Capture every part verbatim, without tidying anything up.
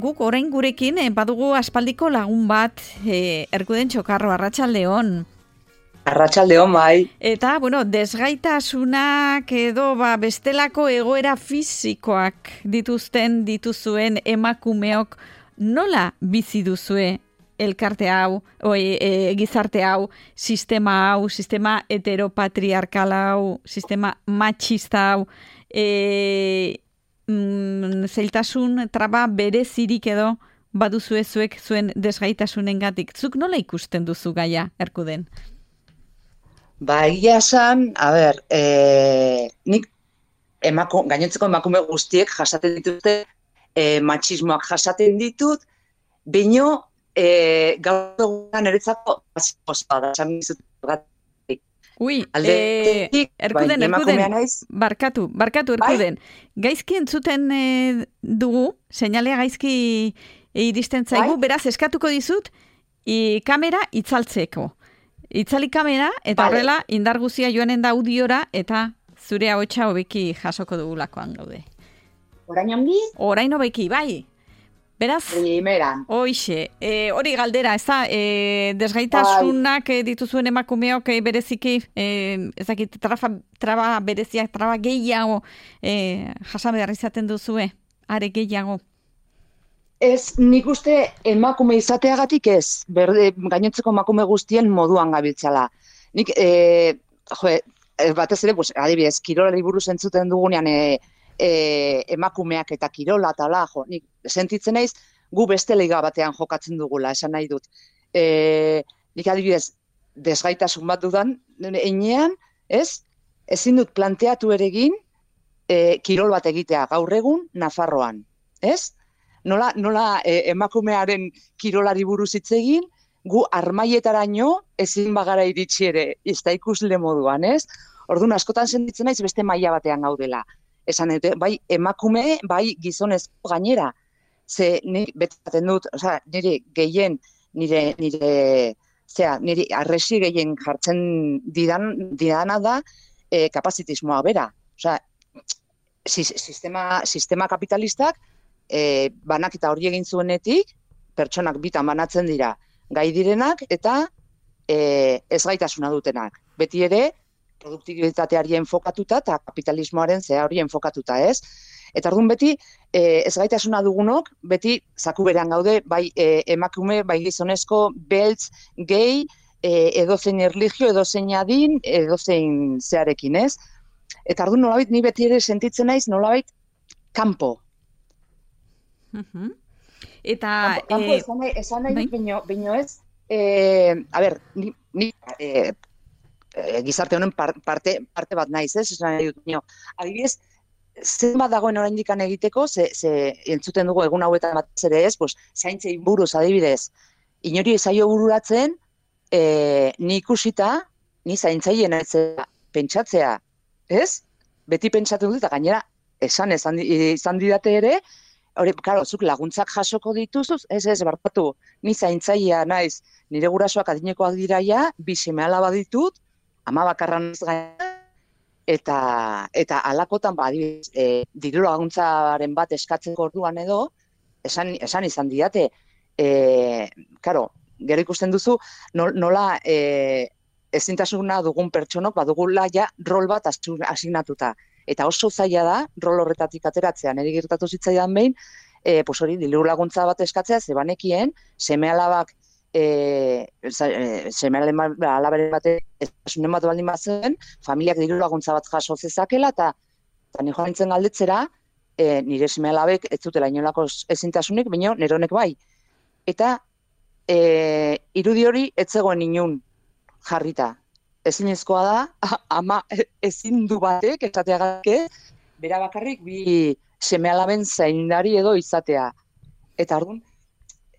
Guk orain gurekin eh, badugu aspaldiko lagun bat, eh, Erkuden Txokarro, arratsaldeon. Arratsaldeon bai. Eta, bueno, desgaitasunak edo ba, bestelako egoera fisikoak dituzten dituzuen emakumeok nola bizi duzue elkarte hau, oi, e, gizarte hau, sistema hau, sistema heteropatriarkal hau, sistema machista hau, e, mm, zeiltasun traba berezirik edo baduzue zuek zuen desgaitasunengatik. Zuk nola ikusten duzu gaia, Erkuden? Ba, egia esan, a ber, e, nik emako, gainontzeko emakume guztiek jasaten dituzte, e, machismoak jasaten ditut, baino e, gaur egunean niretzako basikoa da, esan dizut gatik. Ui, Aldetik, eh, Erkuden, bai, Erkuden, emakumea naiz. barkatu, barkatu, Erkuden. Bai? Gaizki entzuten eh, dugu, seinalea gaizki iristen zaigu, Bai? beraz eskatuko dizut, i, kamera itzaltzeko. Itzali kamera, eta Vale. horrela indar guzia joanen da audiora, eta zure ahotsa hobeki jasoko dugulakoan gaude. Orain ongi? Orain hobeki, bai. Beraz, Primeran. hoixe, e, hori galdera, ez da, e, desgaitasunak e, dituzuen emakumeok e, bereziki, e, ez dakit, traba, traba bereziak, traba gehiago e, jasan behar izaten duzue, are gehiago. Ez, nik uste emakume izateagatik ez, berde, gainontzeko emakume guztien moduan gabiltzala. Nik, e, jo, e, batez ere, pues, adibidez, kirolari buruz entzuten dugunean e, e, emakumeak eta kirola eta la, jo, nik sentitzen naiz, gu beste liga batean jokatzen dugula, esan nahi dut. E, nik adibidez, desgaitasun bat dudan, einean, ez, ezin dut planteatu ere egin e, kirol bat egitea gaur egun Nafarroan, ez? Nola, nola e, emakumearen kirolari buruz hitz egin, gu armaietaraino ezin bagara iritsi ere, ez da ikusle moduan, ez? Orduan askotan sentitzen naiz beste maila batean gaudela. Esan dute, bai emakume, bai gizonezko gainera. Ze nik betaten dut, osea, nire gehien, nire, nire, zera, nire arresi gehien jartzen didan, didana da e, kapazitismoa bera. Osea, sistema, sistema kapitalistak E, banaketa hori egin zuenetik, pertsonak bitan banatzen dira gai direnak eta e, ezgaitasuna dutenak. Beti ere, produktibitateari enfokatuta eta kapitalismoaren zea hori enfokatuta, ez? Eta orduan beti, e, ezgaitasuna dugunok, beti zaku berean gaude, bai e, emakume, bai gizonezko, beltz, gay, e, edozein erlijio, edozein adin, edozein zearekin, ez? Eta orduan nolabait, ni beti ere sentitzen naiz, nolabait, kanpo. Uh-huh. Eta... Kanpo, eh, esan nahi, esan nahi bai? bino, bino ez, eh, a ber, ni, ni eh, eh, gizarte honen par, parte, parte bat naiz, ez? Esan nahi dut, bino, adibidez, zenbat dagoen oraindikan egiteko, ze, ze entzuten dugu egun hauetan batez ere ez, pues, zaintzei buruz adibidez, inori zaio bururatzen, eh, ni ikusita, ni zaintzaile naitzea pentsatzea, ez? Beti pentsatzen dut, eta gainera, esan, esan, izan didate ere, hori, karo, zuk laguntzak jasoko dituzuz, ez ez, barkatu, ni zaintzailea naiz, nire gurasoak adinekoak diraia, bi seme-alaba ditut, ama bakarra naiz gaina, eta, eta alakotan, ba, adibidez, e, diru laguntzaren bat eskatzeko orduan edo, esan, esan izan diate, e, karo, gero ikusten duzu, nola e, ezintasuna dugun pertsonok, badugula ja rol bat asignatuta. Eta oso zaila da, rol horretatik ateratzea, niri gertatu zitzaidan behin, e, pues hori, diru laguntza bat eskatzea, zebanekien, seme-alabak, e, seme-alabaren bate, ezasunen bat baldin bat zen, familiak diru laguntza bat jaso zezakela, eta, eta ni joan nintzen galdetzera, e, nire seme-alabek ez zutela inolako ezintasunik, baina nire honek bai. Eta e, irudi hori ez zegoen inun jarrita. Ezinezkoa da, ama ezin du batek, esateagatik, bera bakarrik bi seme-alaben zaindari edo izatea. Eta orduan,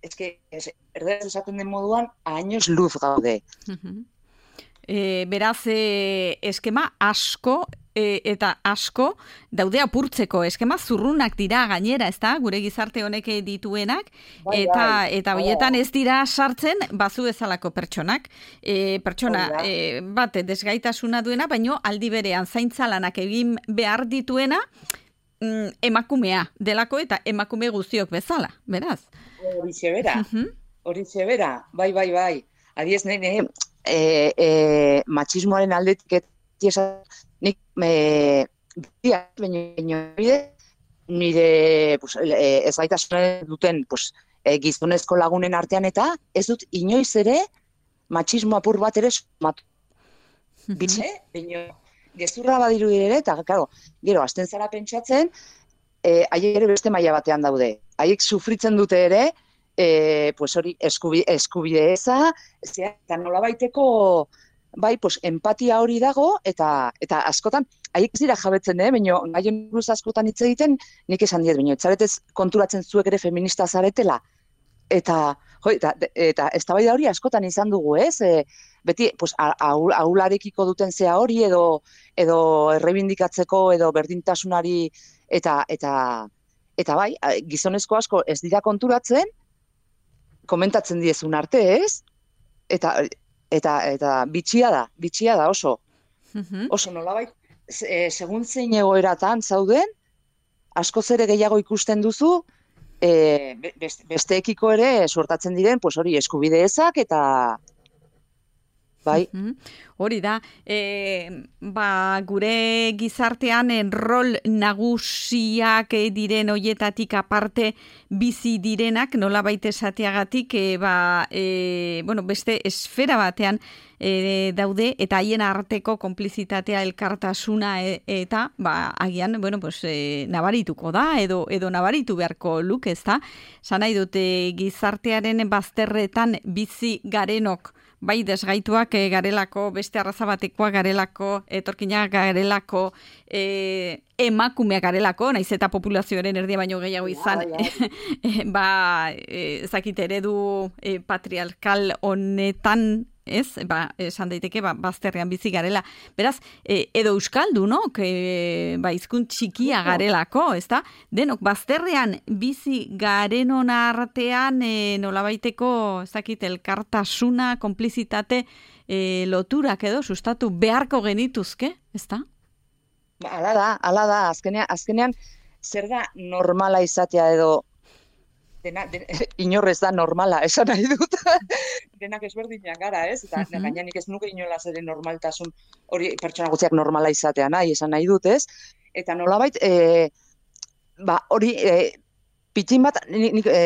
eske, erderaz esaten den moduan, años luz gaude. E, beraz, e, eskema asko e, eta asko daude apurtzeko. Eskema zurrunak dira gainera, ez da, gure gizarte honek dituenak, bai, eta bai, eta hoietan ez dira sartzen bazu bezalako pertsonak. E, pertsona e, bat desgaitasuna duena, baino aldi berean zaintza lanak egin behar dituena, mm, emakumea delako eta emakume guztiok bezala, beraz. Horixe bera, Mhm. horixe bera, bai, bai, bai. Adiez, nire, e, e, matxismoaren aldetik esan, nik, e, biak, baina bide, nire pues, e, ez gaitasunen duten pues, e, gizonezko lagunen artean eta ez dut inoiz ere matxismo apur bat ere sumatu. Bitxe, baina gezurra badiru ere, eta, claro, gero, azten zara pentsatzen, e, haiek ere beste maila batean daude. Haiek sufritzen dute ere, e, pues hori, eskubi, eskubide eza, eta nola baiteko, bai, pues, empatia hori dago, eta eta askotan, haiek ez dira jabetzen, eh? Baina, gaien buruz askotan hitz egiten, nik esan diet, baina, etzaretez konturatzen zuek ere feminista zaretela, eta, jo, eta, eta eztabaida hori askotan izan dugu, ez? E, beti, pues, aul, aularekiko duten zea hori, edo, edo errebindikatzeko, edo berdintasunari, eta, eta, eta bai, gizonezko asko ez dira konturatzen, komentatzen diezun arte, ez? Eta, eta, eta bitxia da, bitxia da oso. Oso nolabait, e, segun zein egoeratan zauden, askoz ere gehiago ikusten duzu, e, besteekiko ere suertatzen diren, pues hori, eskubide ezak, eta bai. Hori da, e, ba, gure gizartean rol nagusiak diren hoietatik aparte bizi direnak, nola baita esateagatik, e, ba, e, bueno, beste esfera batean e, daude, eta haien arteko konplizitatea elkartasuna e, eta, ba, agian, bueno, pues, e, nabarituko da, edo, edo nabaritu beharko luk, ez da? Zan nahi dute gizartearen bazterretan bizi garenok, bai desgaituak e, garelako, beste arraza batekoa garelako, etorkinak garelako, e, emakumeak garelako, naiz eta populazioaren erdia baino gehiago izan, ja, ja. e, ba, e, ezakit eredu e, patriarkal honetan, ez, ba, esan daiteke, ba, bazterrean bizi garela. Beraz, e, edo euskaldu, no? Que, ba, hizkunt txikia garelako, ez da? Denok, bazterrean bizi garenon artean, e, nolabaiteko, ez dakit, elkartasuna, konplizitate, e, loturak edo, sustatu beharko genituzke, ez da? Ba, ala da, ala da, azkenean, azkenean, zer da normala izatea edo, dena, den, inorrez da normala, esan nahi dut, denak ezberdinak gara, ez? Eta uh-huh. Gaina nik ez nuke inolaz ere normaltasun hori pertsona guztiak normala izatea nahi, esan nahi dut, ez? Eta nolabait, e, ba, hori, e, pitin bat, nik, nik e,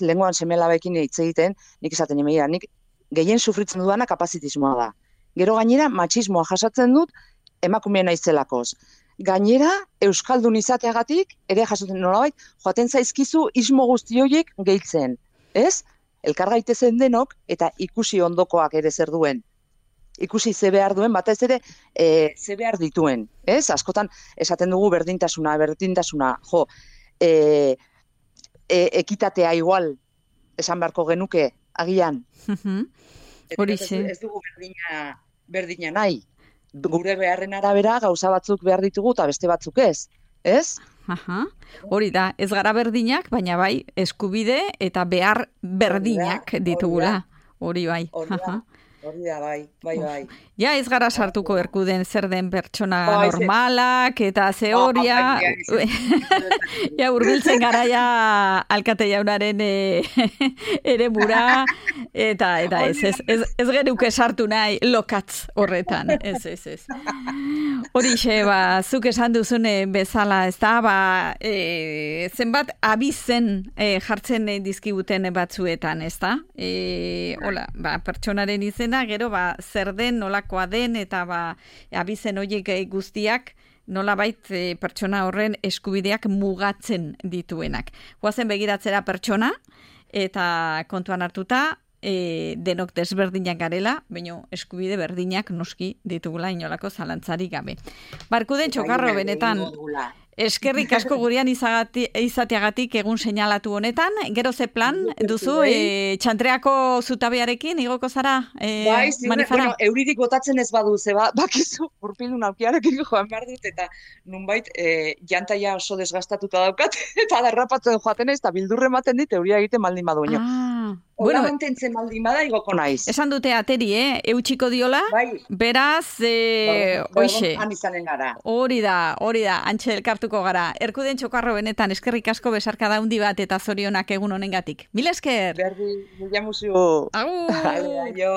lenguan semelabekin hitz egiten, nik esaten emeia, nik gehien sufritzen dudana kapazitismoa da. Gero gainera, matxismoa jasatzen dut, emakumeen naizelakoz. Gainera, euskaldun izateagatik, ere jasotzen nolabait, joaten zaizkizu ismo guzti horiek gehitzen, ez? Elkar gaitezen denok, eta ikusi ondokoak ere zer duen. Ikusi ze behar duen, batez ere, e, ze behar dituen, ez? Askotan, esaten dugu berdintasuna, berdintasuna, jo, e, e, ekitatea igual, esan beharko genuke, agian. Horixe. Ez, ez dugu berdina, berdina nahi. Gure beharren arabera gauza batzuk behar ditugu eta beste batzuk ez, ez? Aha. Hori da, ez gara berdinak, baina bai eskubide eta behar berdinak ditugula. Hori bai. Hori da, hori da, bai, bai, bai. Ja, ez gara sartuko erkuden zer den pertsona normalak eta ze horia. Ja, urbiltzen gara ja alkate jaunaren ere bura. Eta, eta ez, ez, ez, ez geruke sartu nahi lokatz horretan. Ez, ez, ez. Horixe, ba, zuk esan duzune bezala, ez da, ba, e, zenbat abizen e, jartzen dizkibuten batzuetan, ez da? E, hola, ba, pertsonaren izena, gero, ba, zer den, nolakoa den, eta ba, abizen horiek guztiak, nolabait e, pertsona horren eskubideak mugatzen dituenak. Goazen begiratzera pertsona, eta kontuan hartuta, E, denok desberdinak garela, baina eskubide berdinak noski ditugula inolako zalantzarik gabe. Barkuden txokarro benetan, eskerrik asko gurean izagati, izateagatik egun seinalatu honetan, gero ze plan duzu, e, txantreako zutabearekin, igoko zara e, bai, zirre, manifara? Bueno, euririk botatzen ez badu, zeba, bakizu, urpildun aukiarekin joan behar dut, eta nunbait, e, jantaia oso desgastatuta daukat, eta derrapatzen joaten ez, eta bildurre ematen dit, euria egiten baldin badu. Ah. Ola bueno, mantentzen baldin bada igoko naiz. Esan dute ateri, eh? Eutxiko diola, bai. Beraz, e, hoixe. Han izanen gara. Hori da, hori da, antxe elkartuko gara. Erkuden Txokarro benetan, eskerrik asko besarka daundi bat eta zorionak egun honengatik. Mila esker! Berdi, mila musu. Agur! Aio!